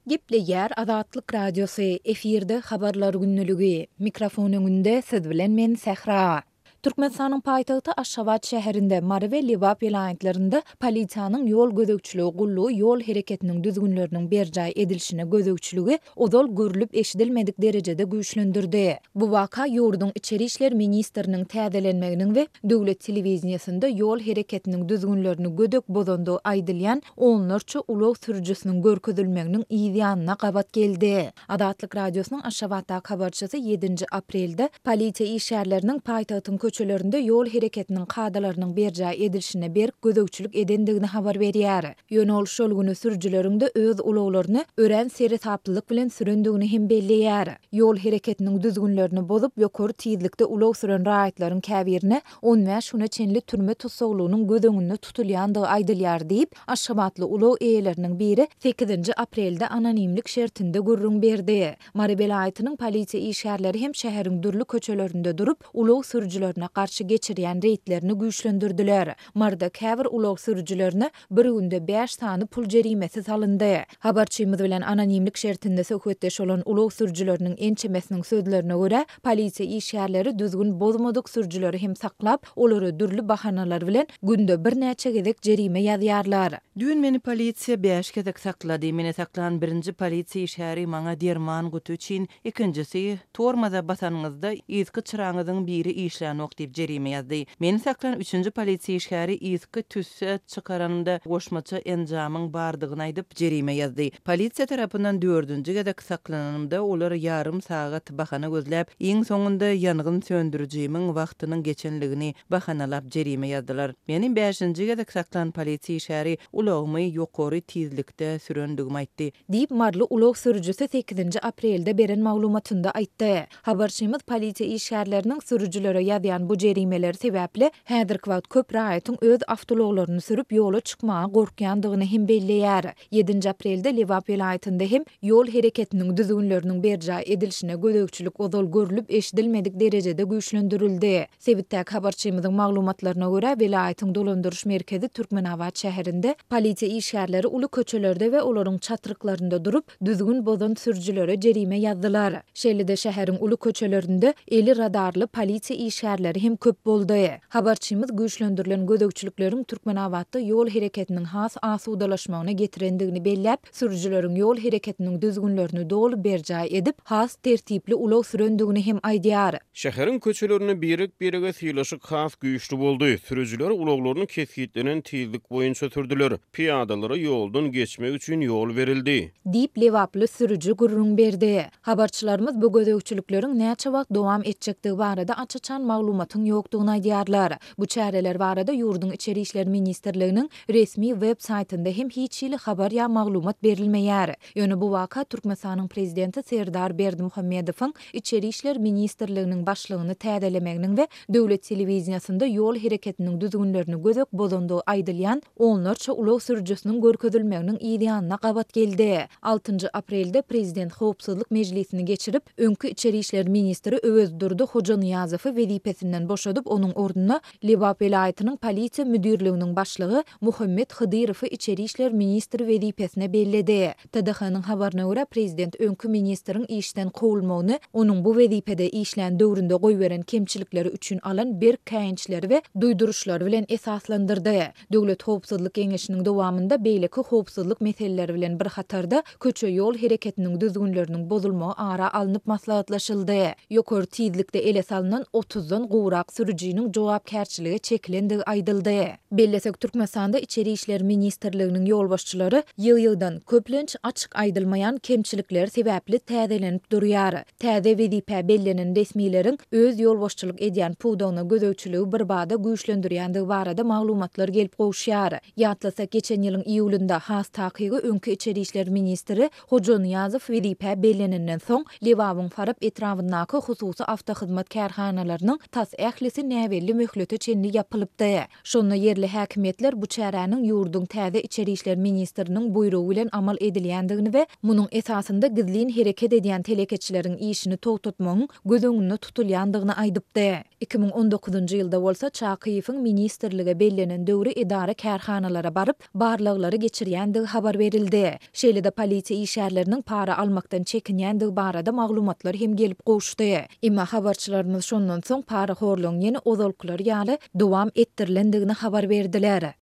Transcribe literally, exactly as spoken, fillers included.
Gepleýär Azatlyk Radiosy, efirde Habarlar gündeligi. Mikrofon öňünde siz bilen men Sähra. Türkmenistanyň paýtagty Aşgabat şäherinde, Mary we Lebap welaýatlarynda polisiýanyň ýol gözegçiligi gullugy ýol hereketiniň düzgünleriniň berjaý edilişine gözegçiligi ozal görlüp-eşidilmedik derejede güýçlendirdi. Bu waka ýurduň içeri işler ministriniň täzelenmeginiň we döwlet telewideniýesinde ýol hereketiniň düzgünlerini gödek bozandygy aýdylýan onlarça ulag sürüjisiniň görkezilmeginiň yz ýanyna gabat geldi. Azatlyk Radiosynyň Aşgabatdaky habarçysy ýedinji aprelde polisiýa işgärleriniň paýtagtyň köçelerinde ýol hereketiniň kadalarynyň berjaý edilişine berk gözegçilik edendigini habar berýär. Ýöne ol şol güni sürüjileriň-de öz ulaglaryny örän seresaplylyk bilen sürendigini hem belleýär. Ýol hereketiniň düzgünlerini bozup, ýokary tizlikde ulag süren raýatlaryň käbirine on bäş güne çenli türme tussaglygynyň göz öňünde tutulýandygy aýdylýar diýip, aşgabatly ulag eýeleriniň biri sekizinji aprelde anonimlik şertinde gürrüň berdi. Mary welaýatynyň polisiýa işgärleri hem şäheriň dürli köçelerinde durup, ulag sürüjilerine garşy geçirýän reýdlerini güýçlendirdiler. Maryda käbir ulag sürüjilerine bir günde bäş sany pul jerimesi salyndy. Habarçymyz bilen anonimlik şertinde söhbetdeş bolan ulag sürüjileriniň ençemesiniň sözlerine görä, polisiýa işgärleri düzgün bozmadyk sürüjileri hem saklap, olara dürli bahanalar bilen günde birnäçe gezek jerime ýazýarlar. Düýn meni polisiýa bäş gezek saklady. Meni saklan birinji polisiýa işgäri maňa derman guty üçin, ikinjisi tormoza basanyňyzda yzky çyraňyzyň biri işlänok diýip jerime ýazdy. Meni saklan üçünji polisiýa işgäri yzky tüsse çykaranymda goşmaça enjamyň bardygyny aýdyp jerime ýazdy. Polisiýa tarapyndan dördünji gezek saklananymda olar ýarym sagat bahana gözläp, iň soňunda ýangyn söndürijimiň wagtynyň geçenligini bahanalap jerime ýazdylar. Meni bäşinji gezek saklan polisiýa işgäri ulagymy ýokary tizlikde sürendigimi aýtdy. Diýip, maryly ulag sürüjisi sekizinji aprelde beren maglumatynda aýtdy. Habarçymyz polisiýa işgärleriniň sürüjilere ýazýan bu jerimeleri sebäpli häzirki wagt köp raýatyň öz awtoulaglaryny sürüp ýola çykmaga gorkýandygyny hem belleýär. Ýedinji aprelde Lebap welaýatynda hem ýol hereketiniň düzgünleriniň berjaý edilişine gözegçilik ozal görlüp eşidilmedik derejede güýçlendirildi. Sebitdäki habarçymyzyň maglumatlaryna görä, welaýatyň dolandyryş merkezi Türkmenabat şäherinde polisiýa işgärleri uly köçelerde we olaryň çatryklarynda durup, düzgün bozan sürüjilere jerime ýazdylar. Şeýle-de şäheriň uly köçelerinde eli radarly polisiýa işgärleri hem köp boldy. Habarçymyz güýçlendirilen gözegçilikleriň Türkmenabatda ýol hereketiniň has asudalaşmagyna getirendigini belläp, sürüjileriň ýol hereketiniň düzgünlerini doly berjaý edip, has tertipli ulag sürendigini hem aýdýar. Şäheriň köçelerinde birek-birege sylaşyk has güýçli boldy. Sürüjiler ulaglaryny kesgitlenen tizlik boýunça sürdüler. Piýadalara ýoldan geçmek üçin ýol berildi. Diýip, lebaply sürüji gürrüň berdi. Habarçylarymyz bu gözegçilikleriň näçe wagt dowam etjekdigi barada aç-açan maglumatyň ýokdugyny aýdýarlar. Bu çäreler barada ýurduň Içeri işler ministrliginiň resmi web saýtynda hem hiç hili habar ýa maglumat berilmeýär. Ýöne bu waka Türkmenistanyň prezidenti Serdar Berdimuhamedowyň Içeri işler ministrliginiň başlygyny täzelemeginiň we döwlet telewideniýasynda ýol hereketiniň düzgünlerini gözek bozandygy aýdylýan onlarça ulag sürüjisiniň görkezilmeginiň yz ýanyna gabat geldi. Altynjy aprelde prezident howpsuzlyk mejlisini geçirip, öňki Içeri işler ministri Öwezdurdy Hojanyýazowy wezipesinden boşadyp, onuň ornuna Lebap welaýatynyň polisiýa müdirliginiň başlygy Muhammet Hydyrowy Içeri işler ministri wezipesine belledi. T D H-nyň habaryna görä, prezident öňki ministriň işden kowulmagyny, onuň bu wezipede işlän döwründe goýberen kemçilikleri üçin alan berk käýinçleri we duýduryşlary bilen esaslandyrdy. Döwlet howpsuzlyk geňeşiniň dowamynda beýleki howpsuzlyk meseleleri bilen bir hatarda köçe ýol hereketiniň düzgünleriniň bozulmagy ara alnyp maslahatlaşyldy. Ýokary tizlikde ele salynan otuzdan gowrak sürüjiniň jogapkärçilige çekilendigi aýdyldy. Bellesek, Türkmenistanda Içeri işler ministrliginiň ýolbaşçylary ýygy-ýygydan köplenç açyk aýdylmaýan kemçilikleri sebäpli täzelenip durýar. Täze wezipä bellenen resmileriň öz ýolbaşçylyk edýän pudagyna gözegçiligi bir bada güýçlendirýändigi barada maglumatlar gelip gowuşýar. Ýatlasak, geçen ýylyň iýulynda has takygy öňki Içeri işler ministri Hojanyýazow wezipä bellenenden soň Lebabyň Farap etrabyndaky hususy awtohyzmat kärhanalarynyň tas ählisi näbelli möhlete çenli ýapylypdy. Şonda ýerli häkimiýetler bu çäräniň ýurduň täze içeri işler ministriniň buýrugy bilen amal edilýändigini we munuň esasynda gizlin hereket edýän telekeçileriň işini togtatmagyň göz öňünde tutulýandygyny aýdypdy. Iki müň on dokuzynjy ýylda bolsa Çakyýewiň ministrlige bellenen döwri edara-kärhanalara baryp, barlaglary geçirýändigi habar berildi. Şeýle-de polisiýa işgärleriniň para almakdan çekinýändigi barada maglumatlar hem gelip gowuşdy. Emma habarçylarymyz şondan soň parahorlugyň ýene ozalkylary ýaly dowam etdirilendigini habar berdiler.